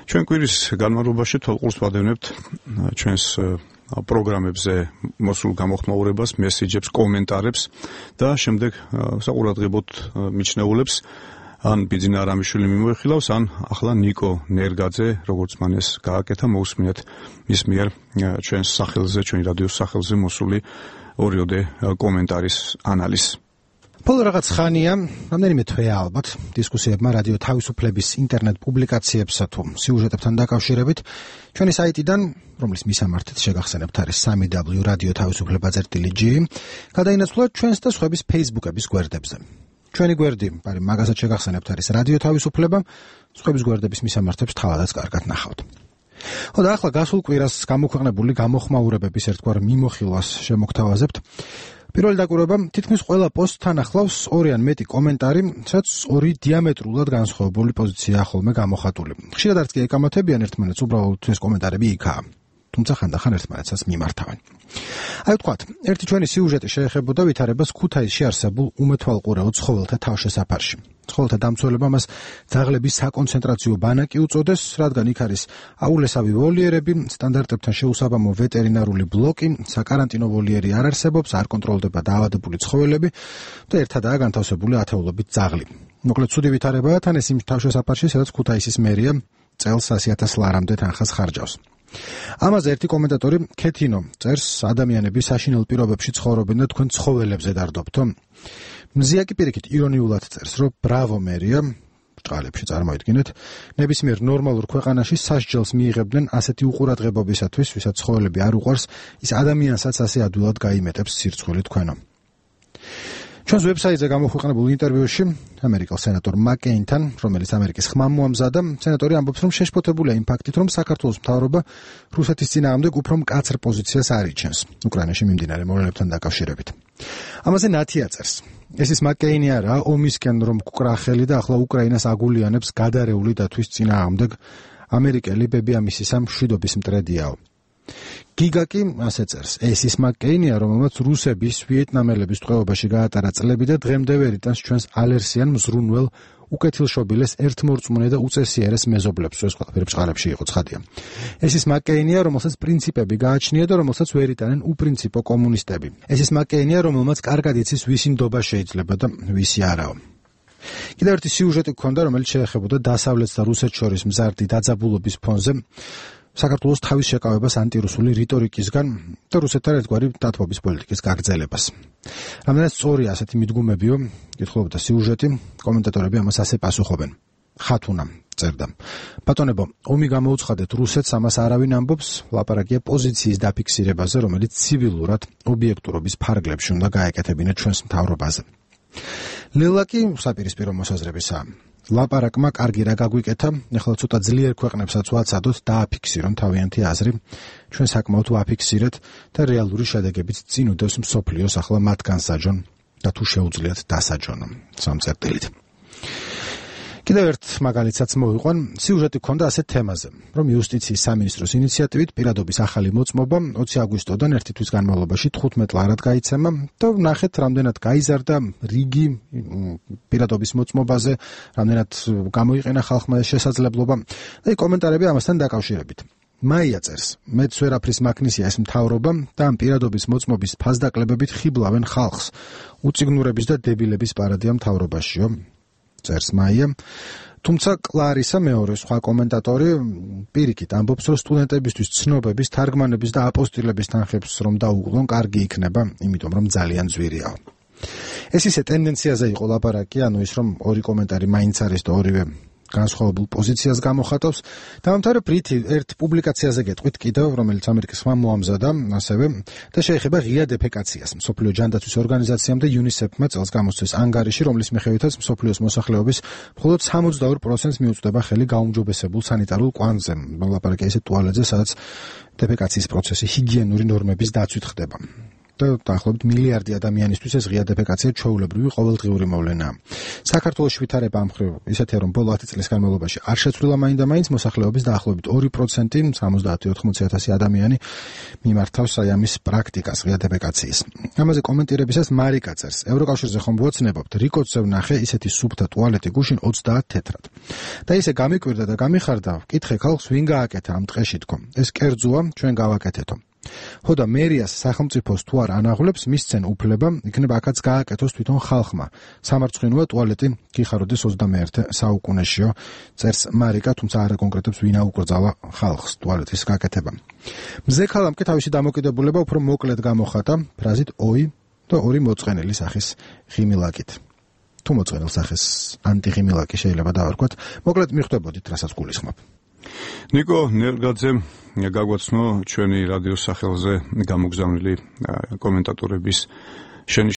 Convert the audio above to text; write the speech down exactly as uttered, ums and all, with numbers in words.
ჩვენ კვირის განმავლობაში თვალყურს ვადევნებთ ჩვენს პროგრამებზე მოსულ გამოხმაურებას, მესიჯებს, კომენტარებს და შემდეგ საყურადღებოდ მიჩნეულებს ან ბიძინა არამიშვილი მიმოიხილავს, ან ახლა ნიკო ნერგაძე, როგორც მან ეს გააკეთა, მოусმინეთ მის მიერ ჩვენს სახელზე, ჩვენი რადიოს სახელზე მოსული ორიოდე კომენტარის ანალიზს. Բոլոր რაღაც ხანია, რამდენიმე თვეა ალბათ, დისკუსიებმა რადიო თავისუფლების ინტერნეტ პუბლიკაციებსა თუ სიუჟეტებთან დაკავშირებით ჩვენი საიტიდან, რომლის მისამართით შეგახსენებთ არის სამი დაბლიუ რადიო თავისუფლება წერტილი ჯი, გადაინაცვლა ჩვენს და სხვების Facebook-ების გვერდებზე. ჩვენი გვერდი, პარი მაგასაც შეგახსენებთ არის რადიო თავისუფლება, სხვების გვერდების მისამართებს თავადაც კარგად ნახავთ. ხოდა ახლა გასულ კვირას გამოქვეყნებული გამოხმაურებების ერთგვარ მიმოხილვას შემოგთავაზებთ. პირველი დაკვირვება თითქმის ყველა პოსტთან ახლავს ორი ან მეტი კომენტარი, სადაც ორი დიამეტრულად განსხვავებული პოზიციაა ხოლმე გამოხატული. ხშირად არც კი ეკამათებიან ერთმანეთს, უბრალოდ ეს კომენტარები იქაა. თუმცა ხანდახან ერთმანეთსაც მიმართავენ. აი ვთქვათ, ერთი ჩვენი სიუჟეტი შეეხებოდა ვითარებას ქუთაისში არსებულ უმეთვალყურეო ცხოველთა თავშესაფარში. ცხოველთა დამცველება მას ძაღლების საკონცენტრაციო ბანაკი უწოდეს, რადგან იქ არის აულესავი ვოლიერები, სტანდარტებთან შეუსაბამო ვეტერინარული ბლოკი, საკარანტინო ვოლიერი არ არსებობს, არ კონტროლდება დაავადებული ცხოველები და ერთადაა განთავსებული ათეულობით ძაღლი. მოკლედ ცუდი ვითარებაა თან ეს იმ თავშესაფარში, სადაც ქუთაისის მერია წელს ასი ათას ლარამდე თანხას ხარჯავს. ამაზე ერთი კომენტატორი ქეთინო წერს, ადამიანები საშინელ პირობებში ცხოვრობენ და თქვენ ცხოველებზე დარდობთო? მზია კი პირიქით ირონიულად წერს, რომ ბრავო მერია, ბრჭყალებში წარმოიდგინეთ, ნებისმიერ ნორმალურ ქვეყანაში სასჯელს მიიღებდნენ ასეთი უყურადღებობისათვის, ვისაც ცხოველები არ უყვარს, ის ადამიანსაც ასე ადვილად გაიმეტებს სირცხვილი თქვენო. ჩვენს ვებსაიტზე გამოქვეყნებულ ინტერვიუში ამერიკელ სენატორ მაკეინთან, რომელიც ამერიკის ხმამ მოამზადა, სენატორი ამბობს, რომ შეშფოთებულია იმ ფაქტით, რომ საქართველოს მთავრობა რუსეთის წინააღმდეგ უფრო მკაცრ პოზიციას არიჩენს უკრაინაში მიმდინარე მოვლენებთან დაკავშირებით. ამაზე ნათია წერს. ეს ის მაკეინი არა, ომისკენ რომ გკრა ხელი და ახლა უკრაინას აგულიანებს გადარეული დათვის წინააღმდეგ ამერიკელი ბებიამისისა მშვიდობის მტრედიაო. გიგა კი ასე წერს, ეს ის მაკეინია, რომელმაც რუსების ვიეტნამელების ტყვეობაში გაატარა წლები და დღემდე ვერ იტანს ჩვენს ალერსიან მზრუნველ უკეთილშობილეს ერთმორწმუნე და უწესიერეს მეზობლებს, ეს ყველაფერი ბჭყალებში იყო ცხადია. ეს ის მაკეინია, რომელსაც პრინციპები გააჩნია და რომელსაც ვერ იტანენ უპრინციპო კომუნისტები. ეს ის მაკეინია, რომელმაც კარგად იცის ვისი ნდობა შეიძლება და ვისი არაო. კიდევ ერთი სიუჟეტი გქონდა, რომელიც შეეხებოდა დასავლეთს და რუსეთს შორის მზარდი დაძაბულობის ფონზე საქართველოს თავის შეკავებას ანტირუსული რიტორიკისგან და რუსეთთან ერთგვარი დათბობის პოლიტიკის გაგრძელებას. რამდენად სწორია ასეთი მიდგომებიო, კითხულობდა სიუჟეტი, კომენტატორები ამას ასე პასუხობენ. ხათუნა წერდა. ბატონებო, ომი გამოუცხადეთ რუსეთს, ამას არავინ ამბობს, ლაპარაკია პოზიციის დაფიქსირებაზე, რომელიც ცივილურად ობიექტურობის ფარგლებში უნდა გაეკეთებინათ ჩვენს მთავრობაზე. ლელა კი საპირისპირო მოსაზრებისაა. ლაპარაკმა კარგი რა გაგვიკეთა, ეხლა ცოტა ძლიერ ქვეყნებსაც ვაცადოთ და აფიქსირონ თავიანთი აზრი, ჩვენ საკმაოდ ვაფიქსირეთ და რეალური შედეგებიც წინ უდევს მსოფლიოს ახლა მათ განსაჯონ და თუ შეუძლიათ დასაჯონო. სამწერტილით. კიდევ ერთ მაგალითსაც მოვიყვან, სიუჟეტი გქონდა ასეთ თემაზე, რომ იუსტიციის სამინისტროს ინიციატივით პირადობის ახალი მოწმობა ოცი აგვისტოდან ერთი თვის განმავლობაში თხუთმეტ ლარად გაიცემა და ნახეთ, რამდენად გაიზარდა რიგი პირადობის მოწმობაზე, რამდენად გამოიყენა ხალხმა ეს შესაძლებლობა და კომენტარები ამასთან დაკავშირებით. მაია წერს, მეც ვერაფრის მაქნისია ეს მთავრობა და ამ პირადობის მოწმობის ფასდაკლებებით ხიბლავენ ხალხს, უწიგნურების და დებილების პარადია მთავრობაშიო. წერს მაია. თუმცა კლარისა მეორე სხვა კომენტატორი პირიქით ამბობს, რომ სტუდენტებისთვის ცნობების, თარგმანების და აპოსტილების თანხებს რომ დაუყლონ, კარგი იქნება, იმიტომ რომ ძალიან ძვირია. ეს ისე ტენდენციაზე იყო ლაპარაკი, ანუ ის რომ ორი კომენტარი მაინც არის და ორივე განსხვავებულ პოზიციას გამოხატავს. დავამთავრებ რითი ერთ პუბლიკაციაზე გეტყვით კიდევ, რომელიც ამერიკის ხმამ მოამზადა, ასევე და შეეხება ღია დეფეკაციას. მსოფლიო ჯანდაცვის ორგანიზაციამ და იუნისეფმა წელს გამოსცეს ანგარიში, რომლის მიხედვითაც მსოფლიოს მოსახლეობის მხოლოდ სამოცდაორ პროცენტს მიუწვდება ხელი გაუმჯობესებულ სანიტარულ კვანძზე. ლაპარაკია ისე ტუალეტზე, სადაც დეფეკაციის პროცესი ჰიგიენური ნორმების დაცვით ხდება. და დაახლოებით მილიარდი ადამიანისთვის ეს ღია დეფეკაცია ჩვეულებრივი ყოველდღიური მოვლენაა. საქართველოს ვითარება ამ მხრივ ისეთია, რომ ბოლო ათი წლის განმავლობაში არ შეცვლილა მაინდა-მაინც მოსახლეობის დაახლოებით ორი პროცენტი, სამოცდაათი ოთხმოცი ათასი ადამიანი მიმართავს აი ამის პრაქტიკას ღია დეფეკაციის. ამაზე კომენტირებისას მარიკა წერს: ევროკავშირზე ხომ ვოცნებობთ, რიკოც ვნახე ისეთი სუფთა ტუალეტი გუშინ ოცდაათ თეთრად. და ისე გამიკვირდა და გამიხარდა, კითხე ხალხს ვინ გააკეთა ამ ტყეში თქო. ეს კერძოა, ჩვენ გავაკეთეთო. ხო და მერიას სახელმწიფოს თუ არ ანაღლებს, მისცენ უფლება, იქნება აქაც გააკეთოს თვითონ ხალხმა. სამარცხვინოა ტუალეტი გიხაროდეს ოცდამეერთე საუკუნეშიო, წერს მარიკა, თუმცა არ აკონკრეტებს ვინ აუკრძალა ხალხს ტუალეტის გაკეთება. მზე ქალამ კი თავისი დამოკიდებულება უფრო მოკლედ გამოხატა ფრაზით oi და ორი მოწყენილი სახის ღიმილაკით. თუ მოწყენილ სახის ანტიღიმილაკი შეიძლება დავარქვათ, მოკლედ მიხვდებოდით, რასაც გულისხმობ. ნიკო ნერგაძემ გაგვაცნო ჩვენი რადიოს სახელზე გამოგზავნილი კომენტატორების შენი